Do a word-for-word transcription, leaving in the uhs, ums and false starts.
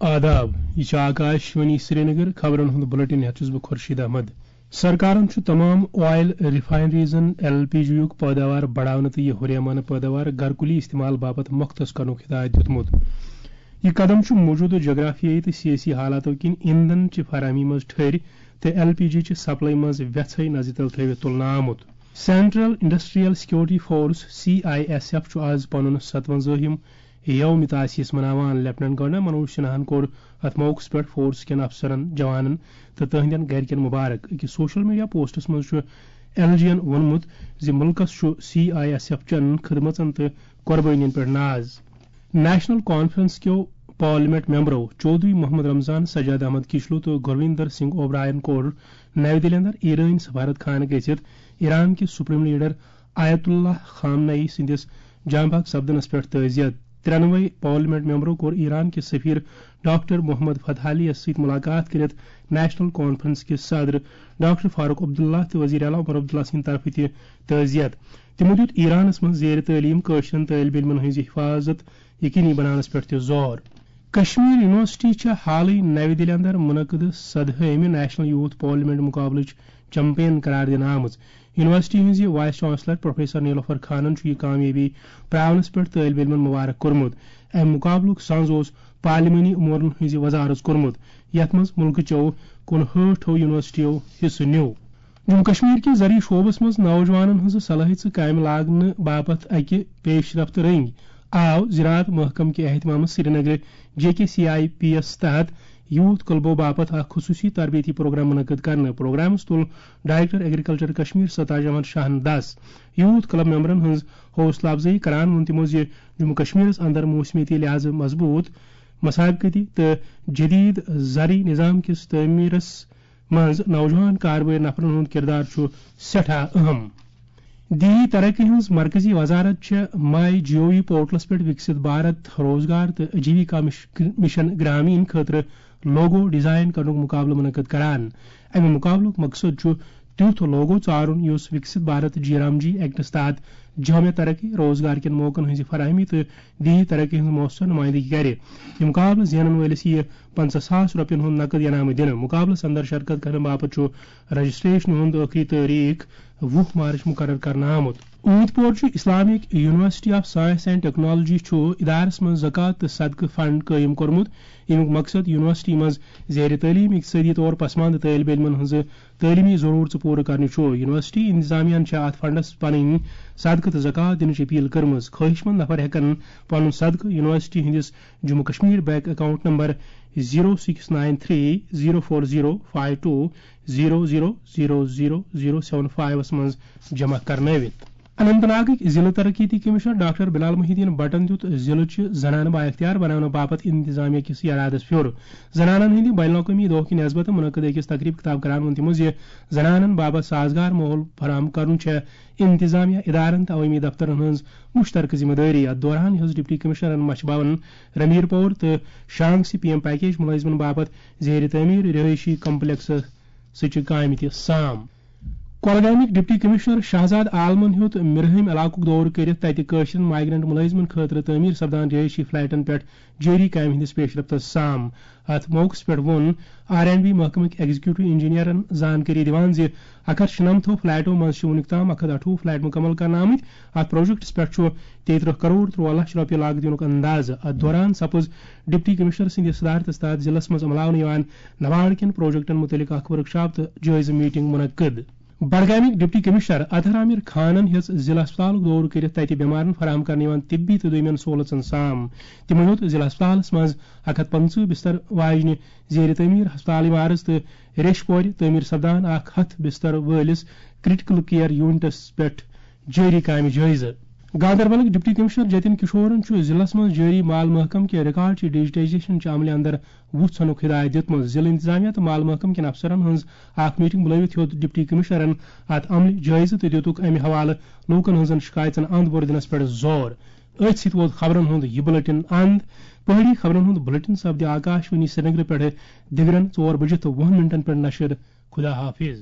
آداب، یہِ چھِ آکاش وانی سرینگر۔ خبرن ہُنٛد بُلٹن ہٮ۪تھ چھُس بہٕ خورشید احمد۔ سرکارن چھُ تمام oil refineries-ن ایل پی جی یُک پٲداوار بڑاونہٕ تہٕ یہِ ہُریمانہٕ پٲداوار گرکُلی استعمال باپتھ مختص کرنُک ہدایت دیُتمُت۔ یہِ قدم چھُ موجودٕ جغرافیٲیی تہٕ سیٲسی حالاتو کِنۍ ایندھن چہِ فراہمی منٛز ٹھٔرۍ تہٕ ایل پی جی چہِ سپلائی منٛز وٮ۪ژھے نظرِ تل تھٲوِتھ تُلنہٕ آمُت۔ Central Industrial Security Force, C I S F, چھُ آز پنُن ستوَنزٲہِم یوم تاسیس مناوان۔ لیفٹیننٹ گورنر منوج سنہاہن کوٚر اتھ موقعس پٮ۪ٹھ فورس کٮ۪ن افسرن، جوانن تہٕ تہنٛدٮ۪ن گرِکٮ۪ن مبارک۔ أکِس سوشل میڈیا پوسٹس منٛز چھُ ایل جی ین ووٚنمُت زِ مُلکس چھُ سی آئی ایس ایف چٮ۪ن خدمژن تہٕ قۄربٲنین پٮ۪ٹھ ناز۔ نیشنل کانفرنس کیو پارلیمنٹ ممبرو چودھری محمد رمضان، سجاد احمد کشلو تہٕ گرویندر سنگھ اوبرائن کوٚر نَوِ دِلہِ اندر ایرٲنۍ سفارت خانہٕ گٔژھِتھ ایران کِس سپریم لیڈر آیت اللہ خامنہ ای سٕنٛدِس جاں بحق سپدنس پٮ۪ٹھ تعزیت۔ ترٛٮ۪نوَے پارلیمنٹ ممبرو کوٚر ایران کِس سفیر ڈاکٹر محمد فتح علی یَس سۭتۍ ملاقات کٔرِتھ نیشنل کانفرنس کِس صدر ڈاکٹر فاروق عبداللہ تہٕ وزیر اعلیٰ عمر عبداللہ سٕنٛدِ طرفہٕ تہِ تعزیت۔ تِمو دیُت ایرانس منٛز زیر تعلیٖم کٲشرٮ۪ن طٲلب علمن ہٕنٛز حفاظت یقینی بناونس پٮ۪ٹھ تہِ زور۔ کشمیر یونیورسٹی چھےٚ حالٕے نَوِ دِلہِ اندر منعقدٕ سدہٲیمہِ نیشنل یوتھ پارلیمنٹ مقابلٕچ چیمپین قرار دِنہٕ آمٕژ۔ یونیورسٹی ہٕنٛزِ وائس چانسلر پروفیسر نیلوفر خانن چھُ یہِ کامیٲبی پراونس پٮ۪ٹھ طٲلب علمن مبارک کوٚرمُت۔ امہِ مقابلُک سنز اوس پارلیمانی امورن ہٕنٛزِ وزارژ کوٚرمُت، یتھ منٛز مُلکہٕ چیو کُنہٲٹھو یونیورسٹیو حصہٕ نیوٗ۔ جموں کشمیر کہِ زرعی شعبس منٛز نوجوانن ہٕنٛزٕ صلٲحیژٕ کامہِ لاگنہٕ باپتھ اکہِ پیش رفت رٔنگۍ آو زراعت محکمہٕ کہِ اہتمامہٕ سرینگرٕ J K C I P یَس تحت یوتھ کلبو باپتھ اکھ خصوٗصی تربیتی پروگرام منعقد کرنہٕ۔ پروگرامس تُل ڈائریکٹر ایگریکلچر کشمیر ستاج احمد شاہن دس۔ یوتھ کلب ممبرن ہٕنٛز حوصلہٕ افزٲیی کران ووٚن تِمو زِ جموں کشمیرس اندر موسمیٲتی لحاظہٕ مضبوط، مسابقتی تہٕ جدید زرعی نظام کِس تعمیرس منٛز نوجوان کاربٲرۍ نفرن ہُنٛد کردار چھُ سٮ۪ٹھاہ اہم۔ دیہی ترقی ہٕنٛز مرکزی وزارت چھےٚ ماے جیو وی پورٹلس پٮ۪ٹھ وکسِت بھارت روزگار تہٕ آجیویکا مش-، مشن گرامین خٲطرٕ لوگو ڈیزائن کرنُک مقابلہٕ منعقد کران۔ امہِ مقابلُک مقصد چھُ تیُتھ لوگو ژارُن یُس وکسِت بھارت جی رام جی ایکٹس تحت جامع ترقی، روزگار کٮ۪ن موقعن ہٕنٛزِ فراہمی تہٕ دیہی ترقی ہٕنٛز مؤثر نمائندگی کرِ۔ یہِ مقابلہٕ زینن وٲلِس یِیہِ پنژاہ ساس رۄپین ہُنٛد نقد انعام دِنہٕ۔ مقابلس اندر شرکت کرنہٕ باپتھ چھُ رجسٹریشن ہُنٛد ٲخری تٲریخ وُہ مارچ مقرر کرنہٕ آمُت۔ اوٗنت پور چھُ Islamic university of science and technology چھُ ادارس منٛز زکوٰۃ تہٕ صدقہٕ فنڈ قٲیِم کوٚرمُت، ییٚمیُک مقصد یونیورسٹی منٛز زیر تعلیٖم اقتصٲدی طور پسماندٕ طٲلب علمن ہٕنٛزٕ تعلیٖمی ضروٗرژٕ پوٗرٕ کرنہِ چھُ۔ یونیورسٹی انتظامیہ چھےٚ اتھ فنڈس پنٕنۍ صدقہٕ تہٕ زکوٰۃ دِنٕچ اپیل کٔرمٕژ۔ خٲہِش مند نفر ہٮ۪کن پنُن صدقہٕ یونیورسٹی ہٕنٛدِس Jammu Kashmir bank account number zero six nine three zero four zero five two zero zero zero zero zero seven فایِوَس منٛز جمع کرنٲوِتھ۔ اننت ناگٕکۍ ضلع ترقیتی کمشنر ڈاکٹر بلال محی الدین بٹن دیُت ضلعہٕ چہِ زنانہٕ بااختیار بناونہٕ باپتھ انتظامیہ کِس ارادس پھیُر۔ زنانن ہٕنٛدِ بین الاقوٲمی دۄہ کہِ نسبتہٕ منعقد أکِس تقریب خطاب کران ووٚن تِمو زِ زنانن باپتھ سازگار ماحول فراہم کرُن چھےٚ انتظامیہ، ادارن تہٕ عوٲمی دفترن ہٕنٛز مشترکہٕ ذمہ دٲری۔ اتھ دوران ہیوٚژ ڈپٹی کمشنرن مچھ بھون، رمیر پور تہٕ شانگ سی پی ایم پیکیج ملٲزمن باپتھ زیر تعمیر رہٲیشی کمپلیکسس سۭتۍ چھِ کامہِ تہِ سام۔ کۄلگامٕکۍ ڈپٹی کمشنر شہزاد عالمن ہیوٚت مِرہٲمۍ علاقُک دورٕ کٔرِتھ تَتہِ کٲشرٮ۪ن مائیگرنٹ مُلٲزمن خٲطرٕ تعمیٖر سپدان رہٲیشی فلیٹن پٮ۪ٹھ جٲری کامہِ ہٕنٛدِس پیش رفتس سام۔ اتھ موقعس پٮ۪ٹھ ووٚن آر اینڈ بی محکمٕکۍ ایگزیکٹو انجینئرن زانکٲری دِوان زِ اکھ ہتھ شُنمتھو فلیٹو منٛز چھِ وُنیُک تام اکھ ہتھ اَٹھووُہ فلیٹ مُکمل کرنہٕ آمٕتۍ۔ اتھ پروجیکٹس پٮ۪ٹھ چھُ تیٚیہِ ترٕٛہ کرور ترُٛواہ لچھ رۄپیہِ لاگت یِنُک اندازٕ۔ اتھ دوران سپٕز ڈپٹی کمشنر سٕنٛدِ صدارتس تحت ضلعس منٛز عملاونہٕ یِوان نوارٕ کٮ۪ن پروجیکٹن مُتعلق اکھ ورکشاپ تہٕ جٲیزٕ میٹنگ منعقد۔ بڈگامٕکۍ ڈپٹی کمشنر اطہر عامر خانن ہیٚژ ضلع ہسپتالُک دورٕ کٔرِتھ تتہِ بٮ۪مارن فراہم کرنہٕ یِوان طبی تہٕ دوٚیمٮ۪ن سہولژن سام۔ تِمو ہیوٚت ضلع ہسپتالس منٛز اکھ ہتھ پنٛژٕہ بستر واجنہِ زیر تعمیر ہسپتال عمارژ تہٕ ریٚش پورِ تعمیر سپدان اکھ ہتھ بستر وٲلِس کرٹیکل کیئر یونٹس پٮ۪ٹھ جٲری کامہِ جٲیزٕ۔ گاندربلٕکۍ ڈپٹی کمشنر جتن کشورن چھُ ضلعس منٛز جٲری مال محکمہٕ کہِ ریکارڈ چہِ ڈیجیٹائزیشن چہِ عملہِ اندر وُژھ ژھنُک ہدایت دیُتمُت۔ ضلع انتظامیہ تہٕ مال محکمہٕ کٮ۪ن افسرن ہٕنٛز اکھ میٹنگ بُلٲوِتھ ہیوٚت ڈپٹی کمشنرن اتھ عملہِ جٲیزٕ تہٕ دِتُکھ امہِ حوالہٕ لوٗکن ہٕنٛزن شکایژن اند بور دِنس پٮ۪ٹھ زور۔ أتھۍ سۭتۍ ووت خبرن ہُنٛد یہِ بلیٹن اند۔ پہٲڑی خبرن ہُنٛد بلیٹن سپدِ آکاش وانی سرینگرٕ پٮ۪ٹھٕ دِگرن ژور بجہِ تہٕ وُہن منٹن پٮ۪ٹھ نشر۔ خدا حافظ۔